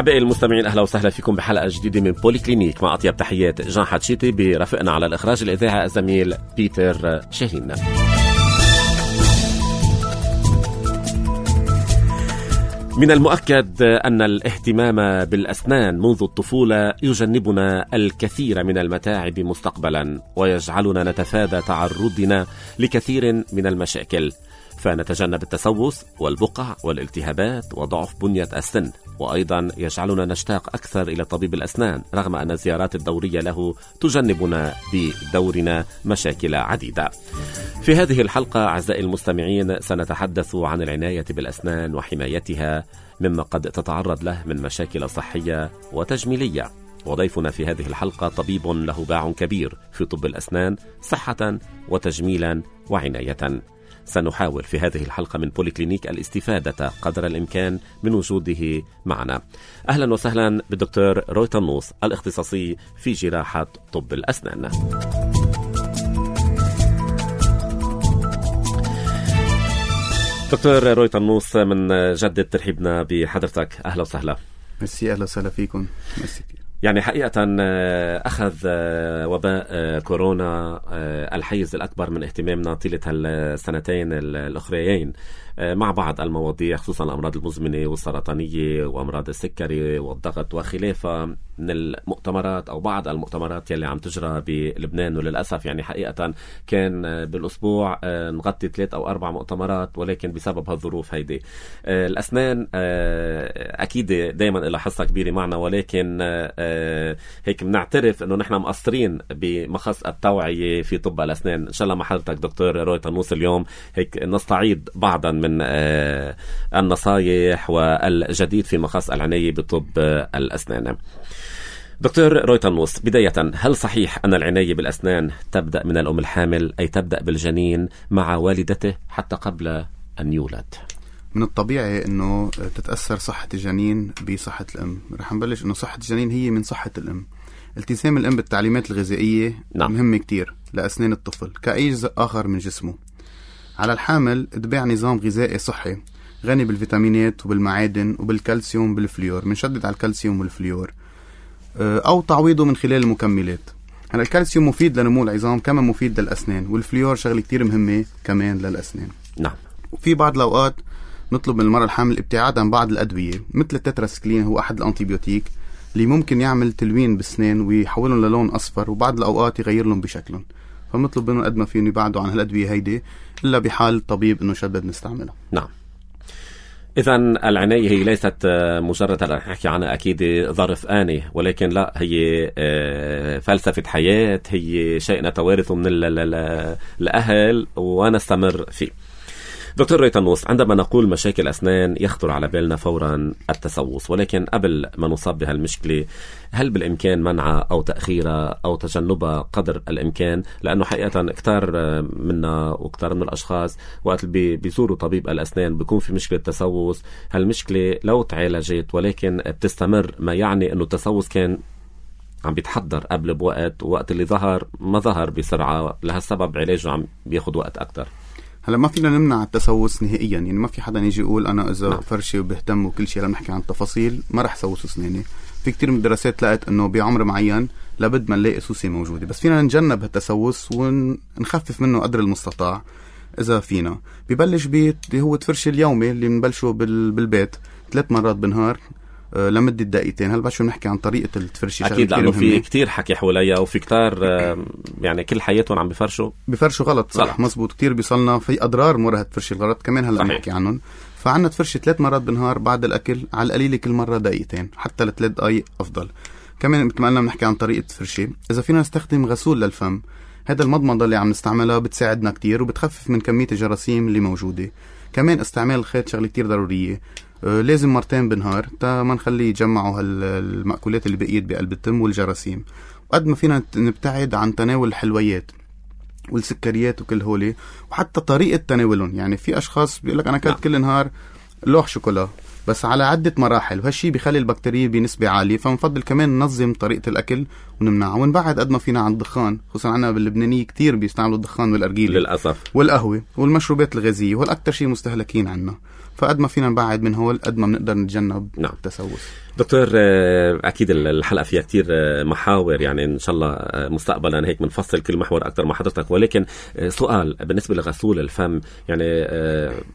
أحبائي المستمعين، أهلا وسهلا فيكم بحلقة جديدة من بولي كلينيك مع أطيب تحيات جان حتشيتي، برفقنا على الإخراج الإذاعي الزميل بيتر شاهين. من المؤكد أن الاهتمام بالأسنان منذ الطفولة يجنبنا الكثير من المتاعب مستقبلا، ويجعلنا نتفادى تعرضنا لكثير من المشاكل، فنتجنب التسوس والبقع والالتهابات وضعف بنية السن، وأيضا يجعلنا نشتاق أكثر إلى طبيب الأسنان رغم أن الزيارات الدورية له تجنبنا بدورنا مشاكل عديدة. في هذه الحلقة أعزائي المستمعين سنتحدث عن العناية بالأسنان وحمايتها مما قد تتعرض له من مشاكل صحية وتجميلية. وضيفنا في هذه الحلقة طبيب له باع كبير في طب الأسنان صحة وتجميلا وعناية. سنحاول في هذه الحلقة من بولي كلينيك الاستفادة قدر الإمكان من وجوده معنا. أهلا وسهلا بالدكتور روي طنوس الاختصاصي في جراحة طب الأسنان. دكتور روي طنوس، من جدد ترحيبنا بحضرتك، أهلا وسهلا. ميرسي، أهلا وسهلا فيكم. ميرسي. يعني حقيقة أخذ وباء كورونا الحيز الأكبر من اهتمامنا طيلة السنتين الأخريين مع بعض المواضيع، خصوصا الأمراض المزمنة والسرطانية وأمراض السكري والضغط وخلافها من المؤتمرات أو بعض المؤتمرات يلي عم تجرى بلبنان. وللأسف يعني حقيقة كان بالأسبوع نغطي 3 أو 4 مؤتمرات، ولكن بسبب هالظروف هيدي الأسنان أكيد دايما لها حصة كبيرة معنا، ولكن هيك بنعترف انه نحن مقصرين بمخص التوعية في طب الأسنان. ان شاء الله مع حضرتك دكتور روي طنوس اليوم هيك نستعيد بعضا من النصايح والجديد في مخص العناية بطب الأسنان. دكتور روي طنوس، بداية هل صحيح أن العناية بالأسنان تبدأ من الأم الحامل، أي تبدأ بالجنين مع والدته حتى قبل أن يولد؟ من الطبيعي انه تتأثر صحة الجنين بصحة الام. رح نبلش انه صحة الجنين هي من صحة الام. التزام الام بالتعليمات الغذائية مهم كتير لأسنان الطفل كأي جزء آخر من جسمه. على الحامل اتباع نظام غذائي صحي غني بالفيتامينات وبالمعادن وبالكالسيوم بالفليور، منشدد على الكالسيوم والفليور، او تعويضه من خلال المكملات. هلا الكالسيوم مفيد لنمو العظام كما مفيد للأسنان، والفليور شغلة كتير مهمة كمان للأسنان. نعم. وفي بعض الأوقات نطلب من المرأة الحامل الابتعاد عن بعض الأدوية مثل التتراسكلين، هو أحد الأنتيبيوتيك اللي ممكن يعمل تلوين بالسنان ويحولهم للون أصفر، وبعض الأوقات يغير لهم بشكلهم. فمطلب منهم قد ما فيهم يبعدوا عن هالأدوية هيدي إلا بحال الطبيب إنه شدد نستعملها. نعم. إذن العناية هي ليست مجرد نحكي عنها أكيد ظرف آني، ولكن لا، هي فلسفة حياة، هي شيء نتوارثه من الأهل ونستمر فيه. دكتور روي طنوس، عندما نقول مشاكل أسنان يخطر على بالنا فورا التسوس، ولكن قبل ما نصاب بهالمشكلة هل بالإمكان منعها أو تأخيرها أو تجنبها قدر الإمكان؟ لأنه حقيقة كتار منا وكتار من الأشخاص وقت بيزوروا طبيب الأسنان بيكون في مشكلة تسوس. هالمشكلة لو تعالجت ولكن بتستمر، ما يعني أنه التسوس كان عم بيتحضر قبل بوقت، ووقت اللي ظهر ما ظهر بسرعة، لهالسبب علاجه عم بياخد وقت أكتر. هلا ما فينا نمنع التسوس نهائيا، يعني ما في حدا يجي يقول انا اذا فرشي وبهتم وكل شيء، لما نحكي عن التفاصيل ما رح سوس اسناني. في كتير من الدراسات لقت انه بعمر معين لابد ما نلاقي سوسة موجودة، بس فينا نتجنب هالتسوس ونخفف منه قدر المستطاع اذا فينا. ببلش هو التفرشي اليومي اللي بنبلشه بالبيت 3 مرات بالنهار لمدة دقيقتين. هل بشو نحكي عن طريقة التفرشي؟ أكيد، لأنه في كتير حكي حواليا وفي كتار يعني كل حياتهم عم بفرشوا غلط. صح، مزبوط. كتير بيصلنا في أضرار مرة تفرشي الغلط كمان هلأ نحكي عنهم. فعنا تفرشي 3 مرات بالنهار بعد الأكل، على القليل كل مرة دقيقتين، حتى ل3 دقايق أفضل. كمان مثل ما قلنا بنحكي عن طريقة تفرشي. إذا فينا نستخدم غسول للفم، هذا المضمضة اللي عم نستعملها بتساعدنا كتير وبتخفف من كمية الجراثيم اللي موجودة. كمان استعمال الخيط شغلة كتير ضرورية، لازم 2 مرات بالنهار تا ما نخلي يجمعوا المأكولات اللي بقيت بقلب التم والجراثيم. وقد ما فينا نبتعد عن تناول الحلويات والسكريات وكل هولي، وحتى طريقة تناولهم. يعني في أشخاص بيقولك أنا كلت كل نهار لوح شوكولا، بس على عدة مراحل، وهالشي بيخلي البكتيريا بنسبة عالية. فنفضل كمان ننظم طريقة الأكل ونمنعها ونبعد قد ما فينا عن الدخان، خصوصا عنا باللبنانية كتير بيستعملوا الدخان والأرجيلة للأسف، والقهوة والمشروبات الغازية، وهول أكتر شيء مستهلكين عنا. فقد ما فينا نبعد من هول قد ما بنقدر نتجنب التسوس. دكتور، أكيد الحلقة فيها كتير محاور، يعني إن شاء الله مستقبلا هيك منفصل كل محور أكتر مع حضرتك. ولكن سؤال بالنسبة لغسول الفم، يعني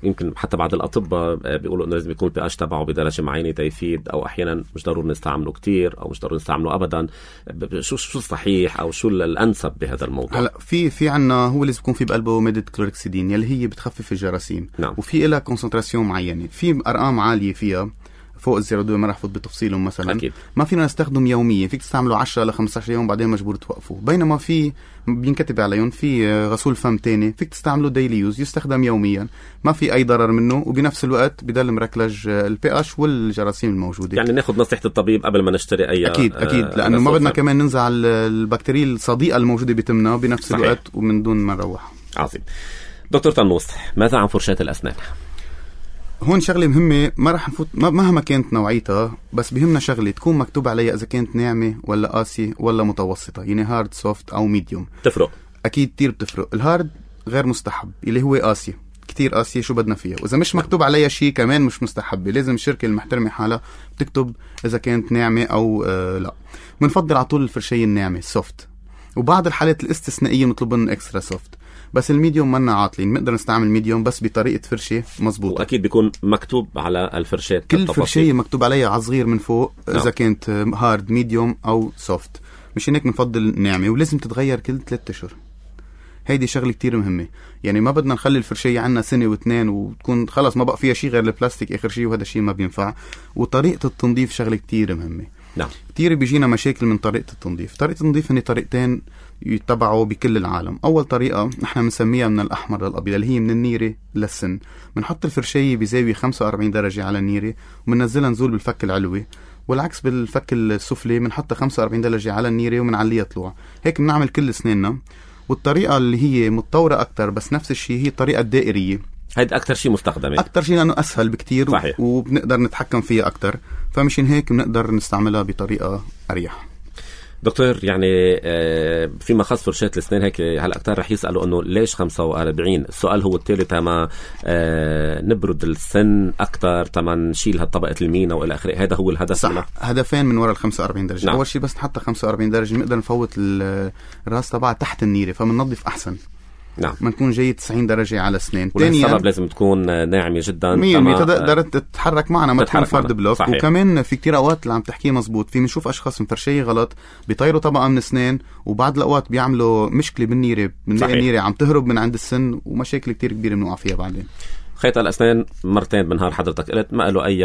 يمكن حتى بعض الأطباء بيقولوا إنه لازم يكون pH تبعه بدرجة معينة تيفيد، أو أحيانا مش ضروري نستعمله كتير أو مش ضروري نستعمله أبدا. شو الصحيح أو شو الأنسب بهذا الموضوع؟ هلا في عنا هو لازم يكون في بقلبه مادة كلوركسيدين يلي هي بتخفف الجراثيم. وفي لها كونسنتراسيون معينة، في أرقام عالية فيها فوق ال0.2، ما رح فوت بتفصيلهم مثلا. أكيد. ما فينا نستخدم يوميا، فيك تستعمله 10 ل 15 يوم بعدين مجبور توقفه. بينما في بينكتب عليهم في غسول فم تاني فيك تستعمله ديلي يوز، يستخدم يوميا، ما في أي ضرر منه، وبنفس الوقت بدل مركلج الPH والجراثيم الموجودة. يعني ناخد نصيحة الطبيب قبل ما نشتري أي أكيد لأنه ما بدنا كمان ننزع البكتيريا الصديقة الموجودة بتمنا بنفس الوقت ومن دون ما نروح. عظيم. دكتور طنوس، ماذا عن فرشاة الأسنان؟ هون شغلة مهمة، ما رح نفوت مهما كانت نوعيتها، بس بهمنا شغلة تكون مكتوب عليها إذا كانت ناعمة ولا قاسية ولا متوسطة، يعني هارد سوفت أو ميديوم. تفرق؟ أكيد كتير بتفرق. الهارد غير مستحب، اللي هو قاسية كتير قاسية، شو بدنا فيها؟ وإذا مش مكتوب عليها شيء كمان مش مستحبة. لازم الشركة المحترمة حالها تكتب إذا كانت ناعمة أو لا. بنفضل على طول الفرشية الناعمة سوفت، وبعض الحالات الاستثنائية نطلب لهم اكسترا سوفت. بس الميديوم منا عاطلين، نقدر نستعمل ميديوم بس بطريقة فرشة مزبوطة. وأكيد بيكون مكتوب على الفرشات كل فرشية مكتوب عليها على صغير من فوق إذا كانت هارد ميديوم أو سوفت. مش هيك بنفضل ناعمة، ولازم تتغير كل 3 أشهر. هيدي شغلة كتير مهمة، يعني ما بدنا نخلي الفرشية عنا 1 و2 وتكون خلاص ما بقى فيها شيء غير البلاستيك آخر شيء، وهذا الشيء ما بينفع. وطريقة التنظيف شغلة كتير مهمة. كتير بيجينا مشاكل من طريقة التنظيف. طريقة التنظيف هني طريقتين يتبعوا بكل العالم. أول طريقة نحن بنسميها من الأحمر للأبيض، اللي هي من النيرة للسن. بنحط الفرشية بزاوية 45 درجة على النيرة ومننزلها نزول بالفك العلوي، والعكس بالفك السفلي بنحطها 45 درجة على النيرة ومنعليها طلوع. هيك بنعمل كل سنيننا. والطريقة اللي هي متطورة أكتر بس نفس الشيء هي الطريقة الدائرية. هيدا أكتر شيء مستخدمة، أكتر شيء لأنه أسهل بكتير. صحيح. وبنقدر نتحكم فيها أكتر، فمشان هيك بنقدر نستعملها بطريقة أريح. دكتور، يعني فيما خص فرشاة الأسنان هيك هلا أكتر رح يسألوا إنه ليش 45؟ السؤال هو التالي: تما نبرد السن أكتر، تما نشيل هالطبقة المينا وإلى آخره. هذا هو الهدف. صح، هدفين من وراء 45 درجة. أول شيء بس نحط 45 درجة نقدر نفوت الراس تبعها تحت النيرة، فمننظف أحسن. ما نكون جاي 90 درجة على السنين. والسبب لازم تكون ناعمة جدا 100% تقدر تتحرك معنا، ما تكون فرد بلوك. صحيح. وكمان في كتير أوقات اللي عم تحكيه مزبوط، في نشوف أشخاص مفرشية غلط بيطيروا طبقة من السنين، وبعد الأوقات بيعملوا مشكلة بالنيرة، بنلاقي النيرة عم تهرب من عند السن، ومشاكل كتير كبيرة بنوقع فيها بعدين. خيط الأسنان مرتين بالنهار حضرتك قلت، ما له أي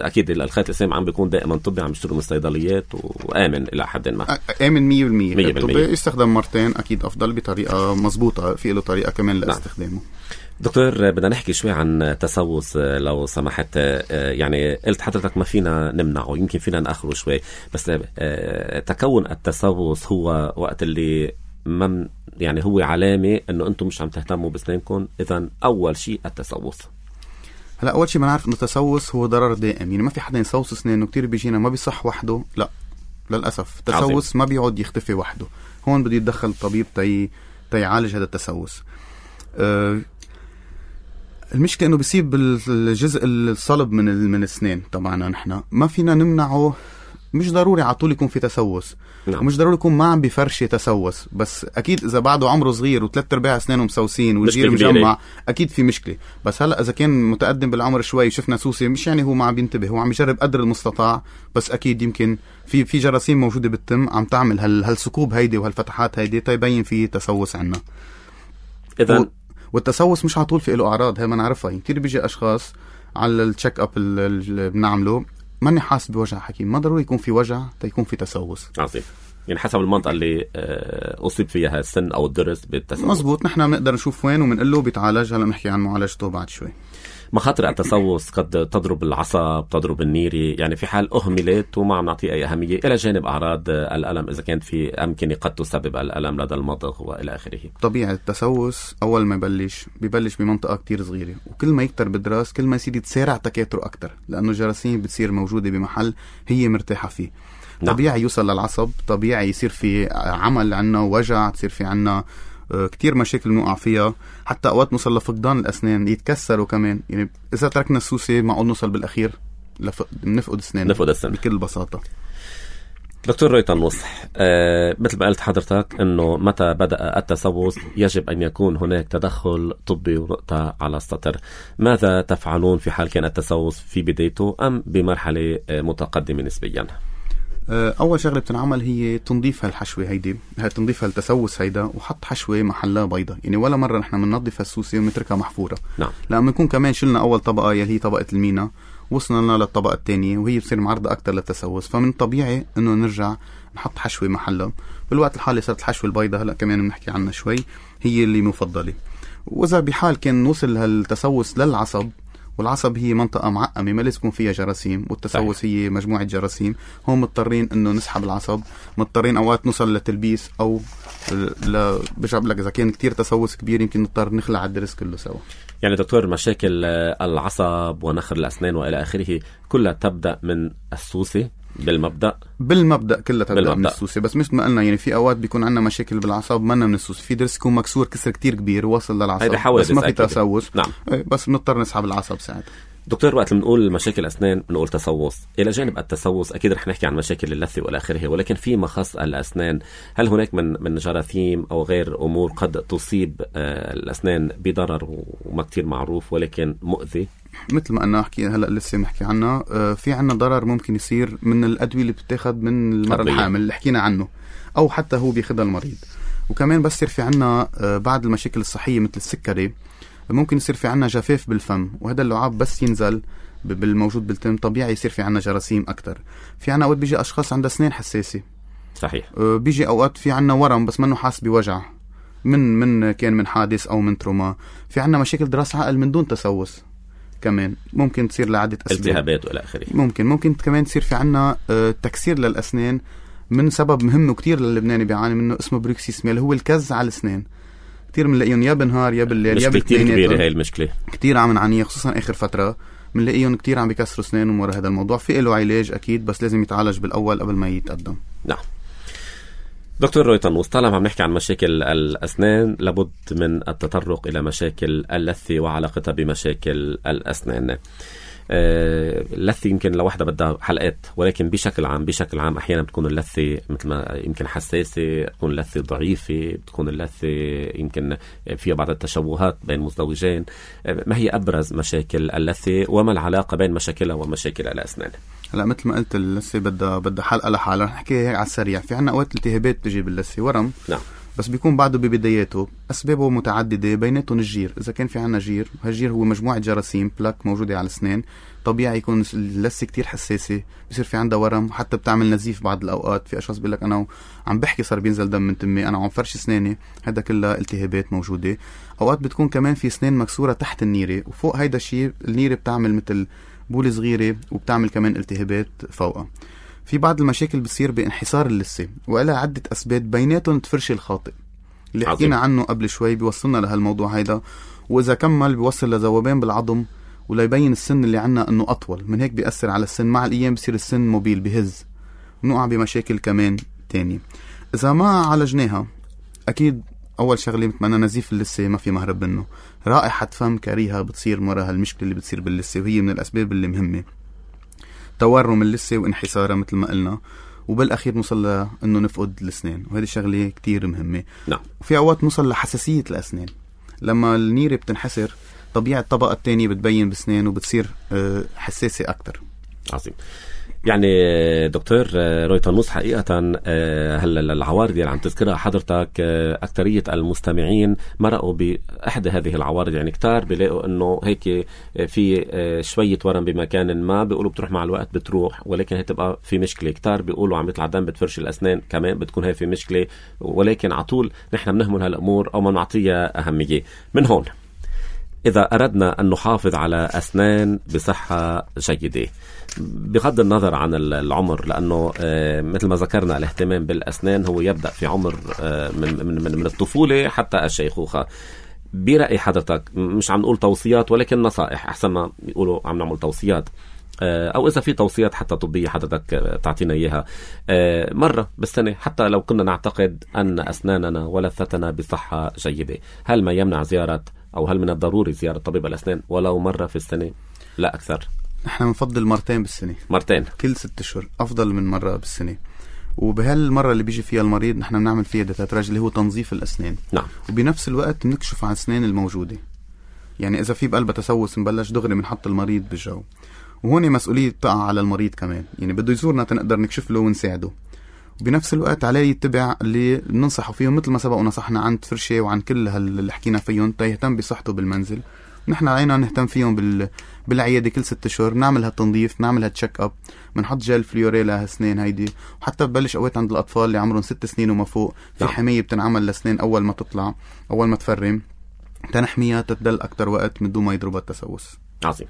أكيد الخيط الأسنان عم بيكون دائما طبي، عم يشتروا من الصيدليات وآمن إلى حد ما. آمن 100%. الطبي يستخدم مرتين أكيد أفضل بطريقة مزبوطة، في له طريقة كمان لاستخدامه. دكتور، بدنا نحكي شوي عن تسوس لو سمحت. يعني قلت حضرتك ما فينا نمنعه، يمكن فينا نأخره شوي، بس تكون التسوس هو وقت اللي يعني هو علامة انه انتم مش عم تهتموا بسنانكم. اذا اول شيء التسوس. هلا اول شيء بنعرف انه التسوس هو ضرر دائم، يعني ما في حدا يسوس اسنانه. كتير بيجينا ما بيصح وحده، لا للاسف التسوس ما بيقعد يختفي وحده. هون بده يتدخل الطبيب تيعالج هذا التسوس. المشكلة انه بيصيب الجزء الصلب من الاسنان. طبعا نحن ما فينا نمنعه، مش ضروري على طول يكون في تسوس. ومش ضروري يكون ما عم بفرشة تسوس، بس أكيد إذا بعده عمره صغير و3/4 أسنانه مسوسين والجير مجمع أكيد في مشكلة. بس هلأ إذا كان متقدم بالعمر شوي شفنا سوسة، مش يعني هو ما عم بينتبه، هو عم يجرب قدر المستطاع، بس أكيد يمكن في جراثيم موجودة بالتم عم تعمل هالثقوب هيدي وهالفتحات هيدي تيبين في تسوس عنا. إذن والتسوس مش على طول في له أعراض، هاي ما نعرفها. كتير بيجي أشخاص على التشيك أب اللي بنعمله ماني حاسس بوجع حكيم، ما ضروري يكون في وجع تيكون في تسوس. عظيم. يعني حسب المنطقة اللي أصيب فيها السن أو الضرس بالتسوس. مزبوط. نحن بنقدر نشوف وين ومنقول له بيتعالج. هلا نحكي عن معالجته بعد شوي. مخاطر التسوس قد تضرب العصب، تضرب النيري، يعني في حال أهملت وما عم نعطيه أي أهمية، إلى جانب أعراض الألم إذا كانت في أمكنة قد تسبب الألم لدى المضغ وإلى آخره. طبيعي التسوس أول ما ببلش بمنطقة كتير صغيرة، وكل ما يكتر بالدراس كل ما يصير يتسارع تكاثره أكتر، لأنه الجراثيم بتصير موجودة بمحل هي مرتاحة فيه. نعم. طبيعي يوصل للعصب، طبيعي يصير في عمل عنا وجع، تصير في عنا كتير مشاكل نوقع فيها، حتى أوقات نوصل لفقدان الأسنان، يتكسروا كمان. يعني إذا تركنا السوسة معقول نوصل بالأخير نفقد أسنان بكل بساطة. دكتور رويتان نصح، مثل ما قلت حضرتك أنه متى بدأ التسوس يجب أن يكون هناك تدخل طبي ونقطة على السطر. ماذا تفعلون في حال كان التسوس في بدايته أم بمرحلة متقدمة نسبيا؟ أول شغلة بتنعمل هي تنظيف هالحشوة هيدي، تنظيف هالتسوس هيدا، وحط حشوة محلها بيضة. يعني ولا مرة نحن بننظف هالسوسة ونتركها محفورة. نعم. لما يكون كمان شلنا أول طبقة يلي هي طبقة المينا، وصلنا لنا للطبقة الثانية وهي بصير معرضة أكتر للتسوس، فمن طبيعي إنه نرجع نحط حشوة محلها. بالوقت الحالي صارت الحشوة البيضة هلأ كمان بنحكي عنها شوي، هي اللي مفضلة. وإذا بحال كان نوصل هالتسوس للعصب، والعصب هي منطقة معقمة ما لازم يكون فيها جراثيم، والتسوس هي مجموعة جراثيم، هم مضطرين إنه نسحب العصب، مضطرين أوقات نوصل لتلبيس، أو بجاب لك إذا كان كتير تسوس كبير يمكن نضطر نخلع الدرس كله سوا. يعني دكتور مشاكل العصب ونخر الأسنان وإلى آخره كلها تبدأ من السوسة بالمبدأ كلها تبدأ من السوسة، بس مش ما قلنا يعني في أوقات بيكون عندنا مشاكل بالعصب منا من السوسة، في درس يكون مكسور كسر كتير كبير وصل للعصب بس ما في تسوس. نعم. بس بنضطر نسحب العصب ساعتها. دكتور وقت بنقول مشاكل أسنان بنقول تسوس، إلى جانب التسوس أكيد رح نحكي عن مشاكل اللثة والى آخره، ولكن في مخص الأسنان، هل هناك من جراثيم أو غير أمور قد تصيب الأسنان بضرر وما كتير معروف ولكن مؤذي؟ مثل ما أنا أحكي هلأ لسه محكي عنها، في عنا ضرر ممكن يصير من الأدوية اللي بتتاخد من المرأة الحامل اللي حكينا عنه، أو حتى هو بياخدها المريض. وكمان بس يصير في عنا بعض المشاكل الصحية مثل السكري، ممكن يصير في عنا جفاف بالفم، وهذا اللعاب بس ينزل بالموجود بالتم طبيعي يصير في عنا جراثيم أكتر. في عنا أوقات بيجي أشخاص عندها أسنان حساسة. صحيح. بيجي أوقات في عنا ورم بس منه حاس بوجع كان من حادث أو من تروما. في عنا مشاكل دراس عقل من دون تسوس كمان ممكن تصير لعدة أسباب، التهابات والى آخره. ممكن كمان تصير في عنا تكسير للأسنان من سبب مهم وكتير للبناني بيعاني منه اسمه بروكسيسميا، اللي هو الكز على الأسنان. كتير بنلاقيهم يا بالنهار يا بالليل يا كتير كبيرة هاي المشكلة، كتير عم نعانيها خصوصا آخر فترة. بنلاقيهم كتير عم بيكسروا أسنانهم ورا هذا الموضوع. في له علاج أكيد بس لازم يتعالج بالأول قبل ما يتقدم. نعم. دكتور رويتان، طالما عم نحكي عن مشاكل الأسنان لابد من التطرق إلى مشاكل اللثة وعلاقتها بمشاكل الأسنان. اللثة يمكن لوحدها بدها حلقات، ولكن بشكل عام أحيانا بتكون اللثة مثل ما يمكن حساسة، تكون اللثة ضعيفة، بتكون اللثة يمكن فيها بعض التشوهات بين مزدوجين. ما هي أبرز مشاكل اللثة وما العلاقة بين مشاكلها ومشاكل الأسنان؟ هلا مثل ما قلت اللثة بدها حلقة لحالها. نحكي هيك على السريع. في عنا أوقات التهابات بتجي باللثة، ورم. نعم. بس بيكون بعده ببداياته، أسبابه متعددة بيناتهم الجير. إذا كان في عنا جير، هالجير هو مجموعة جراثيم بلاك موجودة على الأسنان، طبيعي يكون اللثة كتير حساسة، بيصير في عندها ورم، حتى بتعمل نزيف بعض الأوقات. في أشخاص بيقول لك أنا عم بحكي صار بينزل دم من تمي، أنا عم فرش أسناني. هذا كلها التهابات موجودة. أوقات بتكون كمان في أسنان مكسورة تحت النيرة، وفوق هيدا الشيء النيرة بتعمل مثل بولة صغيرة وبتعمل كمان التهابات فوقها. في بعض المشاكل بتصير بانحسار اللثة وإلها عدة أسباب، بيناتهم التفرش الخاطئ اللي حكينا عنه قبل شوي بيوصلنا لهالموضوع هيدا. وإذا كمل بيوصل لذوبان بالعظم ولا يبين السن اللي عنا أنه أطول من هيك، بيأثر على السن. مع الأيام بيصير السن موبيل بهز، ونقع بمشاكل كمان تاني إذا ما عالجناها. أكيد أول شغلة بتمنى نزيف اللثة، ما في مهرب منه. رائحة فم كريهة بتصير مرة هالمشكلة اللي بتصير باللثة، وهي من الأسباب اللي مهمة. تورم اللثة وانحسارها مثل ما قلنا، وبالأخير نوصل لأنه نفقد الأسنان، وهذه الشغلة كتير مهمة. نعم. وفي أوقات نوصل لحساسية الأسنان. لما النيرة بتنحسر طبيعة الطبقة الثانية بتبين بسنان وبتصير حساسة أكتر. عظيم. يعني دكتور رويتان حقيقة هلا العوارض اللي عم تذكرها حضرتك أكترية المستمعين مرقوا بأحد هذه العوارض. يعني كتار بيلاقوا إنه هيك في شوية ورم بمكان ما، بيقولوا بتروح مع الوقت بتروح، ولكن هتبقى في مشكلة. كتار بيقولوا عم يطلع دم بتفرش الأسنان، كمان بتكون هي في مشكلة، ولكن عطول نحن بنهمل هالأمور أو ما نعطيها أهمية. من هون إذا أردنا أن نحافظ على أسنان بصحة جيدة بغض النظر عن العمر، لأنه مثل ما ذكرنا الاهتمام بالأسنان هو يبدأ في عمر من الطفولة حتى الشيخوخة. برأي حضرتك، مش عم نقول توصيات ولكن نصائح، أحسن ما يقولوا عم نعمل توصيات، أو إذا في توصيات حتى طبية حضرتك تعطينا إياها مرة بالسنة، حتى لو كنا نعتقد أن أسناننا ولثتنا بصحة جيدة، هل ما يمنع زيارة أو هل من الضروري زيارة طبيب الأسنان ولو مرة في السنة لا أكثر؟ نحن نفضل مرتين بالسنة، مرتين كل 6 أشهر أفضل من مرة بالسنة. وبهالمرة اللي بيجي فيها المريض نحن بنعمل فيها ديتاتراج اللي هو تنظيف الأسنان. نعم. وبنفس الوقت بنكشف عن الأسنان الموجودة، يعني إذا في بقلبها تسوس نبلش دغري بنحط المريض بالجو. وهون مسؤولية تقع على المريض كمان، يعني بده يزورنا تنقدر نكشف له ونساعده. وبنفس الوقت عليه يتبع اللي بننصحه فيهم مثل ما سبق ونصحنا عن فرشة وعن كل اللي حكينا فيهم يهتم بصحته بالمنزل. نحن علينا نهتم فيهم بالعيادة كل 6 أشهر، نعمل هالتنظيف، نعمل هالتشيك اب، بنحط جل فليوريلا هالسنين هيدي. وحتى ببلش اوقات عند الأطفال اللي عمرهم 6 سنين وما فوق في حماية بتنعمل لسنين أول ما تطلع، أول ما تفرم، تنحميها تتدل أكتر وقت من دون ما يضربها التسوس. عظيم.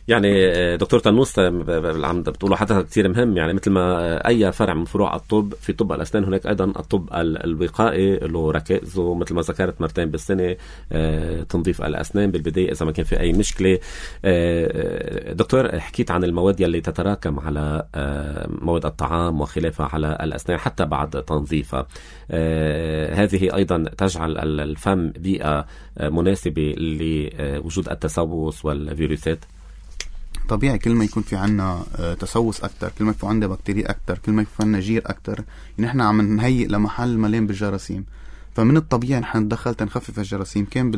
يعني دكتور تنوس عم بتقولوا حتى كتير مهم، يعني مثل ما أي فرع من فروع الطب في طب الأسنان هناك أيضا الطب الوقائي له ركائزه، مثل ما ذكرت مرتين بالسنة تنظيف الأسنان بالبداية إذا ما كان في أي مشكلة. دكتور، حكيت عن المواد اللي تتراكم على مواد الطعام وخلافها على الأسنان حتى بعد تنظيفها، هذه أيضا تجعل الفم بيئة مناسبة لوجود التسوس والفيروسات. طبيعي كل ما يكون في عنا تسوس أكتر، كل ما يكون عنا بكتيريا أكتر، كل ما يكون عنا جير أكتر، يعني نحن عم نهيئ لمحل مليان بالجراثيم. فمن الطبيعي نحن ندخل تنخفف الجراثيم، كان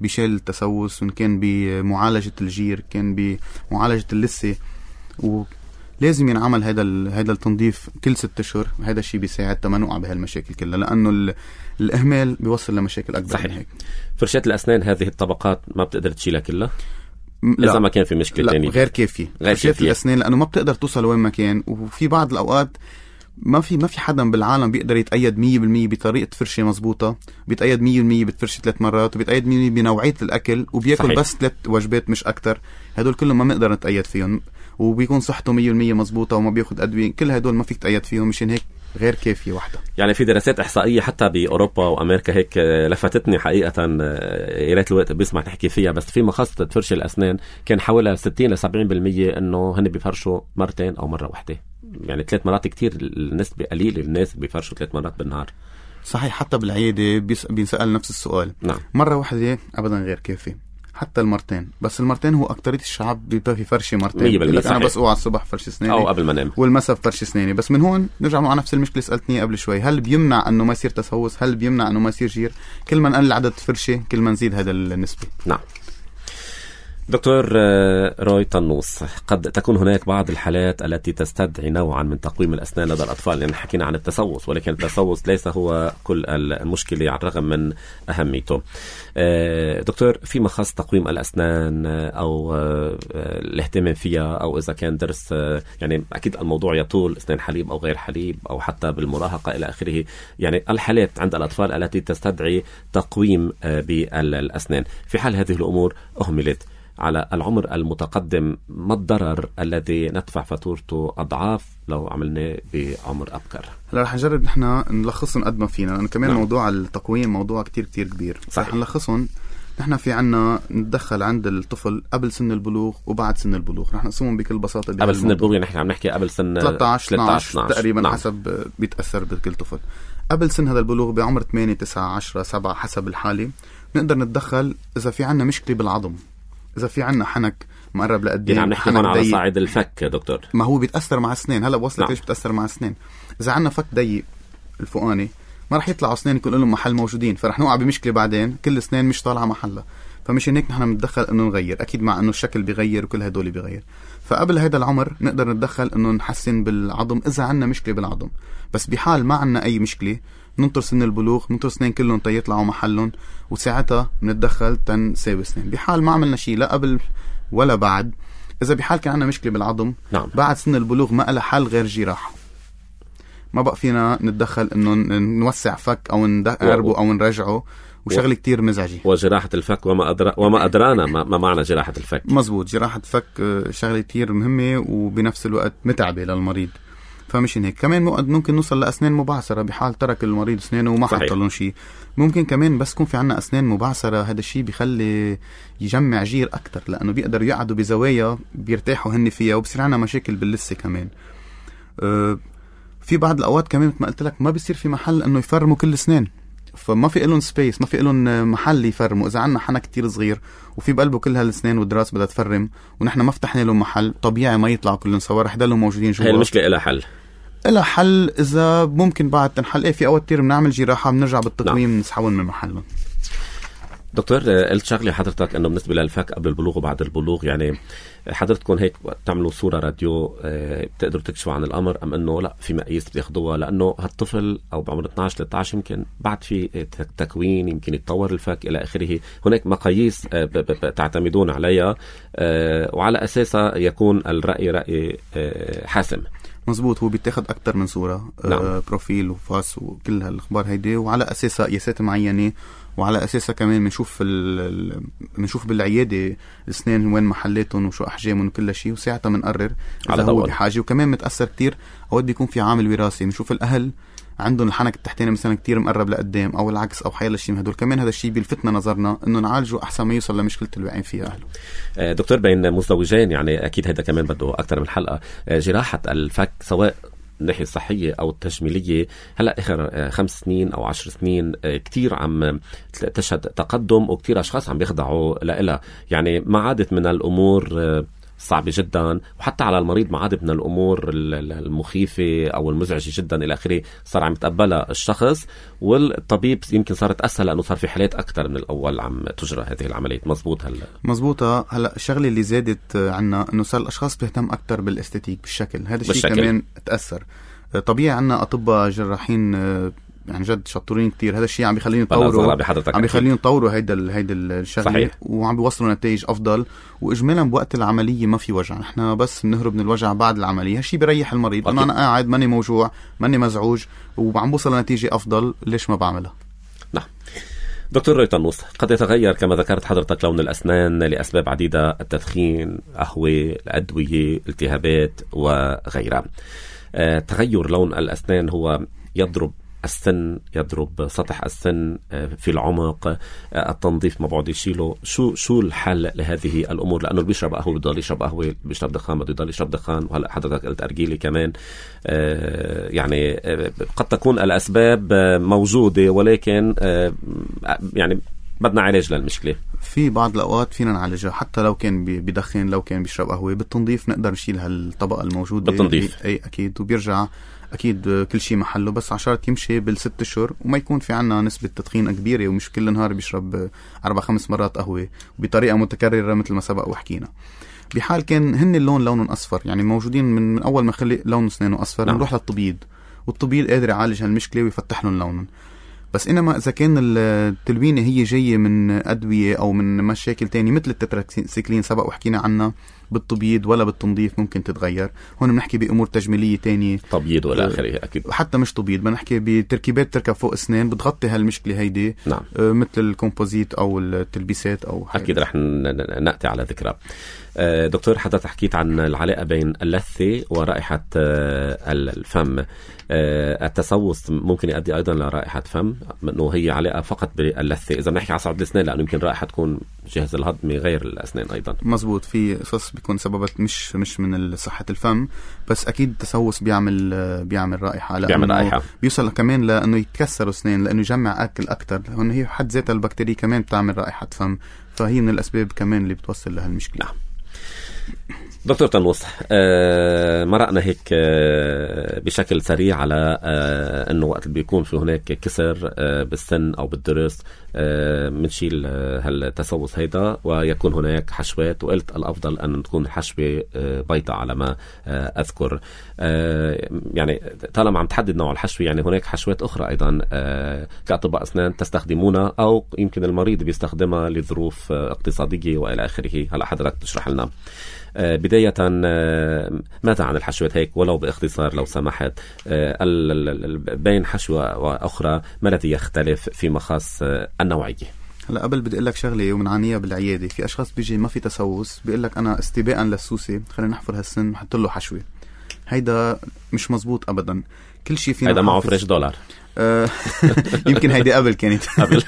بشيل التسوس، وإن كان بمعالجة الجير، كان بمعالجة اللثة. ولازم ينعمل هذا التنظيف كل 6 أشهر. هذا الشيء بيساعد تما نوقع بهالمشاكل كلها، لأنه الإهمال بيوصل لمشاكل أكبر. صحيح. من هيك. فرشاة الأسنان هذه الطبقات ما بتقدر تشيلها كلها إذا ما كان في مشكلة تانية. غير كافية. فرشاة الأسنان لأنه ما بتقدر توصل وين ما كان، وفي بعض الأوقات ما في حدا بالعالم بيقدر يتأيد 100% بطريقة فرشة مزبوطة، بيتأيد 100% بتفرشة 3 مرات، وبيتأيد 100% بنوعية الأكل، وبيأكل صحيح. بس 3 وجبات مش أكتر. هدول كلهم ما بنقدر نتأيد فيهم، وبيكون صحته 100% مزبوطة وما بياخد أدوية. كل هدول ما فيك تأيد فيهم، مشان هيك غير كافية واحدة. يعني في دراسات إحصائية حتى بأوروبا وأمريكا هيك لفتتني حقيقة، يا ريت الوقت بيسمح نحكي فيها، بس في مخصصة فرش الأسنان كان حوالي 60-70% إنه هن بيفرشوا مرتين أو مرة واحدة. يعني 3 مرات كتير، النسبة قليلة الناس بيفرشوا 3 مرات بالنهار. صحيح. حتى بالعيادة بينسأل نفس السؤال. نعم. مرة واحدة أبدا غير كافي، حتى المرتين. بس المرتين هو أكترية الشعب بيبقى فرشة مرتين. أنا بس أوعى الصبح فرش أسناني أو قبل ما نام، والمساء فرش أسناني. بس من هون نرجع على نفس المشكلة سألتني قبل شوي، هل بيمنع أنه ما يصير تسوس؟ هل بيمنع أنه ما يصير جير؟ كل ما نقلل عدد فرشة كل ما نزيد هذا النسبة. نعم. دكتور روي تنوس، قد تكون هناك بعض الحالات التي تستدعي نوعا من تقويم الأسنان لدى الأطفال، لأن حكينا عن التسوس، ولكن التسوس ليس هو كل المشكلة على الرغم من أهميته. دكتور، في مخص تقويم الأسنان أو الاهتمام فيها، أو إذا كان درس، يعني أكيد الموضوع يطول أسنان حليب أو غير حليب أو حتى بالمراهقة إلى آخره، يعني الحالات عند الأطفال التي تستدعي تقويم بالأسنان، في حال هذه الأمور أهملت على العمر المتقدم، ما الضرر الذي ندفع فاتورته أضعاف لو عملناه بعمر أبكر؟ هلا رح نجرب نحن نلخصهم قد ما فينا، لأنه كمان موضوع التقويم موضوع كتير كبير. رح نلخصهم. نحن في عنا نتدخل عند الطفل قبل سن البلوغ وبعد سن البلوغ. رح نقسمهم بكل بساطة. قبل سن البلوغ يعني عم نحكي قبل سن 13 تقريبا. نعم. حسب بيتأثر بكل طفل. قبل سن هذا البلوغ بعمر 8 9 10 7 حسب الحالة نقدر نتدخل إذا في عنا مشكلة بالعظم، إذا في عنا حنك مقرب لقدام. يعني عم نحكي هون على صعيد الفك دكتور. ما هو بيتأثر مع السنين. هلا بوصلك. نعم. ليش بيتأثر مع السنين؟ إذا عنا فك ضيق الفوقاني ما رح يطلعوا أسنان يكون لهم محل موجودين، فرح نوقع بمشكلة بعدين كل الأسنان مش طالعة محلها. فمشان هيك نحن بندخل إنه نغير، أكيد مع إنه الشكل بيغير وكل هدول بيغير. فقبل هذا العمر نقدر نتدخل إنه نحسن بالعظم إذا عنا مشكلة بالعظم. بس بحال ما عنا أي مشكلة ننطر سن البلوغ، ننطر سنين كلهم يطلعوا محلهم، وساعتها بنتدخل تنساوي سنين. بحال ما عملنا شيء لا قبل ولا بعد، إذا بحال كان عنا مشكلة بالعظم. نعم. بعد سن البلوغ ما لها حل غير جراحة. ما بقى فينا نتدخل إنه نوسع فك أو نقربه أو نرجعه وشغله كتير مزعجه. وجراحه الفك وما ادرانا ما معنى جراحه الفك. مزبوط، جراحه الفك شغله كتير مهمه وبنفس الوقت متعبه للمريض. فمشان هيك كمان ممكن نوصل لأسنان مبعثرة بحال ترك المريض أسنانه وما حط لهم شيء. ممكن كمان بس يكون في عنا أسنان مبعثرة، هذا الشيء بيخلي يجمع جير أكتر، لأنه بيقدروا يقعدوا بزوايا بيرتاحوا هن فيها، وبصير عنا مشاكل باللثة كمان. في بعض الأوقات كمان مثل ما قلت لك ما بيصير في محل إنه يفرموا كل أسنان، فما في لهم سبيس، ما في لهم محل يفرموا. إذا عنا حنا كتير صغير وفي بقلبه كل هالأسنان والدراس بدها تفرم ونحن ما فتحنا لهم محل، طبيعي ما يطلعوا كلهم سوا، رح يضلوا موجودين جوا. هي المشكلة إلها حل؟ إلها حل إذا ممكن بعد تنحل. في أوقات كتير بنعمل جراحة بنرجع بالتقويم نسحبهم من محلهم. دكتور، قلت شغلة حضرتك أنه بالنسبة للفك قبل البلوغ وبعد البلوغ، يعني حضرتكم هيك تعملوا صورة راديو بتقدروا تكشفوا عن الأمر، أم أنه لا في مقاييس بتاخدوها لأنه هالطفل أو بعمر 12-13 يمكن بعد في تكوين، يمكن يتطور الفك إلى آخره. هناك مقاييس تعتمدون عليها وعلى أساسها يكون الرأي رأي حاسم. مزبوط، هو بيتاخد أكتر من صورة. نعم. بروفيل وفاس وكل هالأخبار هيدي، وعلى أساسها قياسات معينة، وعلى أساسها كمان بنشوف بالعيادة الأسنان وين محلاتهم وشو أحجامهم وكل شيء، وساعتها بنقرر إذا هو بحاجة. وكمان متأثر كتير أوقات بيكون في عامل وراثي، بنشوف الأهل عندهم الحنك التحتاني مثلا كتير مقرب لقدام أو العكس أو حيال الشيء من هدول. كمان هذا الشيء بيلفتنا نظرنا إنه نعالجه أحسن ما يوصل لمشكلة الواقعين فيها أهله. دكتور، بين مزدوجين يعني أكيد هذا كمان بده أكتر من حلقة. جراحة الفك سواء الناحية الصحية أو التجميلية هلأ آخر 5 سنين أو 10 سنين كتير عم تشهد تقدم، وكتير أشخاص عم بيخضعوا لها. يعني ما عادت من الأمور صعبة جدا، وحتى على المريض ما عادت من الأمور المخيفة أو المزعجة جدا إلى آخره. صار عم يتقبلها الشخص، والطبيب يمكن صارت أسهل لأنه صار في حالات أكتر من الأول عم تجرى هذه العملية. مزبوط. مزبوطة. هلأ الشغلة اللي زادت عنا إنه صار الأشخاص بيهتم أكتر بالاستاتيك بالشكل. هذا الشيء كمان تأثر. طبيعي عنا أطباء جراحين يعني جد شطورين كتير. هذا الشيء عم بيخليهم يطوروا هيدا الشغله، وعم بيوصلوا نتائج افضل. واجمالا بوقت العمليه ما في وجع، نحن بس بنهرب من الوجع بعد العمليه. هالشيء بيريح المريض، انه انا قاعد ماني موجوع ماني مزعوج وعم بوصل لنتيجه افضل، ليش ما بعملها؟ نعم. دكتور روي طنوس، قد يتغير كما ذكرت حضرتك لون الأسنان لأسباب عديدة: التدخين، قهوة، الأدوية، التهابات وغيرها. تغير لون الأسنان هو يضرب السن، يضرب سطح السن في العمق، التنظيف ما بعد يشيله. شو الحل لهذه الأمور؟ لأنه اللي بيشرب قهوة بده يشرب قهوة، بيشرب دخان بده يضل يشرب دخان. وهلا حضرتك قلت أرجيلي كمان. يعني قد تكون الأسباب موجودة، ولكن يعني بدنا علاج للمشكلة. في بعض الأوقات فينا نعالجها حتى لو كان بدخن، لو كان بيشرب قهوة. بالتنظيف نقدر نشيل هالطبقة الموجودة بالتنظيف. أي أكيد، وبيرجع أكيد كل شيء محله، بس عشان يمشي بال6 أشهر وما يكون في عنا نسبة تدخين كبيرة، ومش كل نهار بيشرب 4-5 مرات قهوة بطريقة متكررة مثل ما سبق وحكينا. بحال كان هن اللون لونهم أصفر، يعني موجودين من أول ما خلق لون أسنانه أصفر. نعم. نروح للطبيب، والطبيب قادر يعالج هالمشكلة ويفتح لهم لونهم. بس إنما إذا كان التلوينة هي جاية من أدوية أو من مشاكل تانية مثل التتراكسيكلين سبق وحكينا عنها، بالتبييض ولا بالتنظيف ممكن تتغير. هون بنحكي بأمور تجميلية تانية، تبييض ولا آخره. أكيد حتى مش تبييض، بنحكي بتركيبات تركب فوق أسنان بتغطي هالمشكلة هيدي. نعم. مثل الكومبوزيت أو التلبيسات أو أكيد رح نأتي على ذكرى. دكتور، حضرتك حكيت عن العلاقة بين اللثة ورائحة الفم. التسوس ممكن يؤدي أيضا لرائحة فم، إنه هي علاقة فقط باللثة إذا بنحكي على صعد الأسنان، لأنه يمكن رائحة تكون جهاز الهضمي غير الأسنان أيضا. مزبوط، في قصص بيكون سببت مش من صحة الفم، بس أكيد التسوس بيعمل رائحة، بيوصل كمان لأنه يتكسر أسنان لأنه يجمع أكل أكتر. هون هي حد ذات البكتيريا كمان بتعمل رائحة فم، فهي من الأسباب كمان اللي بتوصل لها المشكلة. نعم. دكتور طنوس، مرقنا هيك بشكل سريع على انه وقت بيكون في هناك كسر بالسن او بالضرس منشيل هالتسوس هيدا ويكون هناك حشوات، وقلت الافضل ان تكون حشوة بيضاء على ما اذكر. يعني طالما عم تحدد نوع الحشوة، يعني هناك حشوات اخرى ايضا كاطباء اسنان تستخدمونها او يمكن المريض بيستخدمها لظروف اقتصادية والى اخره. هلا حضرتك تشرح لنا. بداية ماذا عن الحشوات هيك ولو باختصار لو سمحت؟ بين حشوة وأخرى ما الذي يختلف فيما خاص النوعية؟ هلا قبل بدي اقول لك شغله ومنعانيها بالعياده. في اشخاص بيجي ما في تسوس، بيقول لك انا استباءً للسوسه خلينا نحفر هالسن ونحط له حشوه. هيدا مش مزبوط ابدا. كل شيء فينا هيدا معه فريش دولار. يمكن هيدي قبل كانت قبل.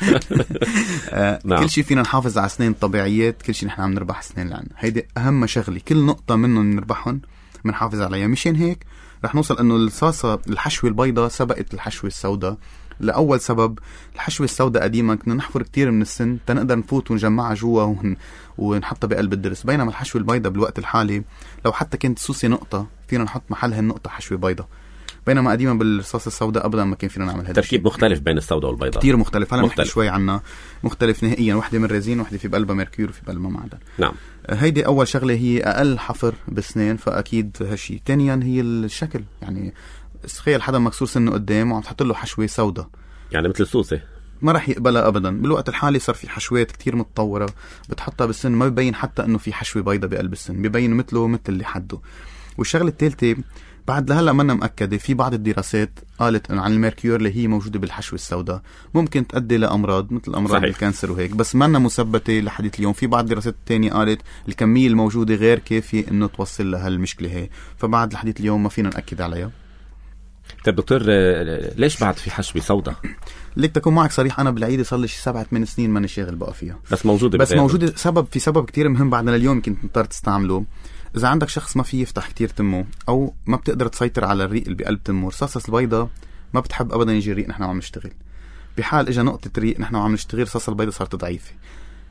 نعم. كل شيء فينا نحافظ على سنين طبيعيات، كل شيء نحن عم نربح سنين لعنا. هيدي اهم شغله، كل نقطه منهم نربحهم بنحافظ عليها. مشان هيك رح نوصل انه الصاصه الحشوه البيضاء سبقت الحشوه السوداء. لأول سبب الحشوة السوداء قديما كنا نحفر كتير من السن تنقدر نفوت ونجمعها جوا ونحطها بقلب الدرس، بينما الحشوة البيضاء بالوقت الحالي لو حتى كانت السوسة نقطة فينا نحط محلها النقطة حشوة بيضاء، بينما قديما بالرصاصة السوداء أبدا ما كان فينا نعمل هذا. تركيب مختلف بين السوداء والبيضاء، كتير مختلف. هلا نحكي شوي عنها. مختلف نهائيا، واحدة من ريزين وواحدة في بقلبها ميركور وفي بقلبها معدن. نعم. هيدي أول شغلة، هي أقل حفر بسنين، فأكيد هالشي. ثانيا هي الشكل، يعني تخيل حدا مكسور سنه قدام وعم تحط له حشوة سوداء يعني مثل السوسة، ما رح يقبلها ابدا. بالوقت الحالي صار في حشوات كتير متطوره بتحطها بالسن ما ببين حتى انه في حشوه بيضه بقلب السن، ببين مثله مثل اللي حده. والشغله الثالثه بعد لهلا منا مأكده، في بعض الدراسات قالت انه عن الميركور اللي هي موجوده بالحشوه السوداء ممكن تؤدي لامراض مثل امراض الكانسر وهيك، بس منا مثبته لحديث اليوم. في بعض الدراسات الثانيه قالت الكميه الموجوده غير كافيه انه توصل لهالمشكله هي، فبعد لحديث اليوم ما فينا نأكد عليها. طيب دكتور، ليش بعد في حشوة سوداء؟ ليك تكون معك صريح، انا بالعيده صار لي 7-8 سنين ماني شاغل بقى فيها، بس موجوده. في سبب كتير مهم بعدنا لليوم كنت مضطر تستعمله. اذا عندك شخص ما في يفتح كتير تمه او ما بتقدر تسيطر على الريق اللي بقلب تمه، رصاصة البيضة ما بتحب ابدا يجي الريق نحن عم نشتغل. بحال اجى نقطه ريق نحن عم نشتغل، رصاصة البيضة صارت ضعيفه.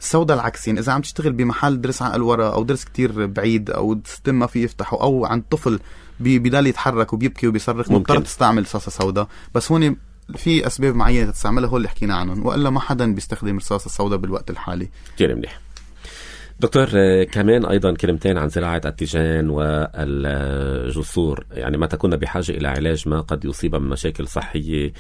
السوداء العكس، يعني اذا عم تشتغل بمحل درس عقل ورا او درس كتير بعيد او التم ما في يفتحه او عند طفل بيضل يتحرك وبيبكي وبيصرخ، مضطر تستعمل رصاصة سوداء. بس هون في اسباب معينه تستعملها هو اللي حكينا عنهم، والا ما حدا بيستخدم رصاصة السوداء بالوقت الحالي. كثير منيح. دكتور، كمان أيضا كلمتين عن زراعة التيجان والجسور. يعني متى كنا بحاجة إلى علاج ما قد يصيب من مشاكل صحية،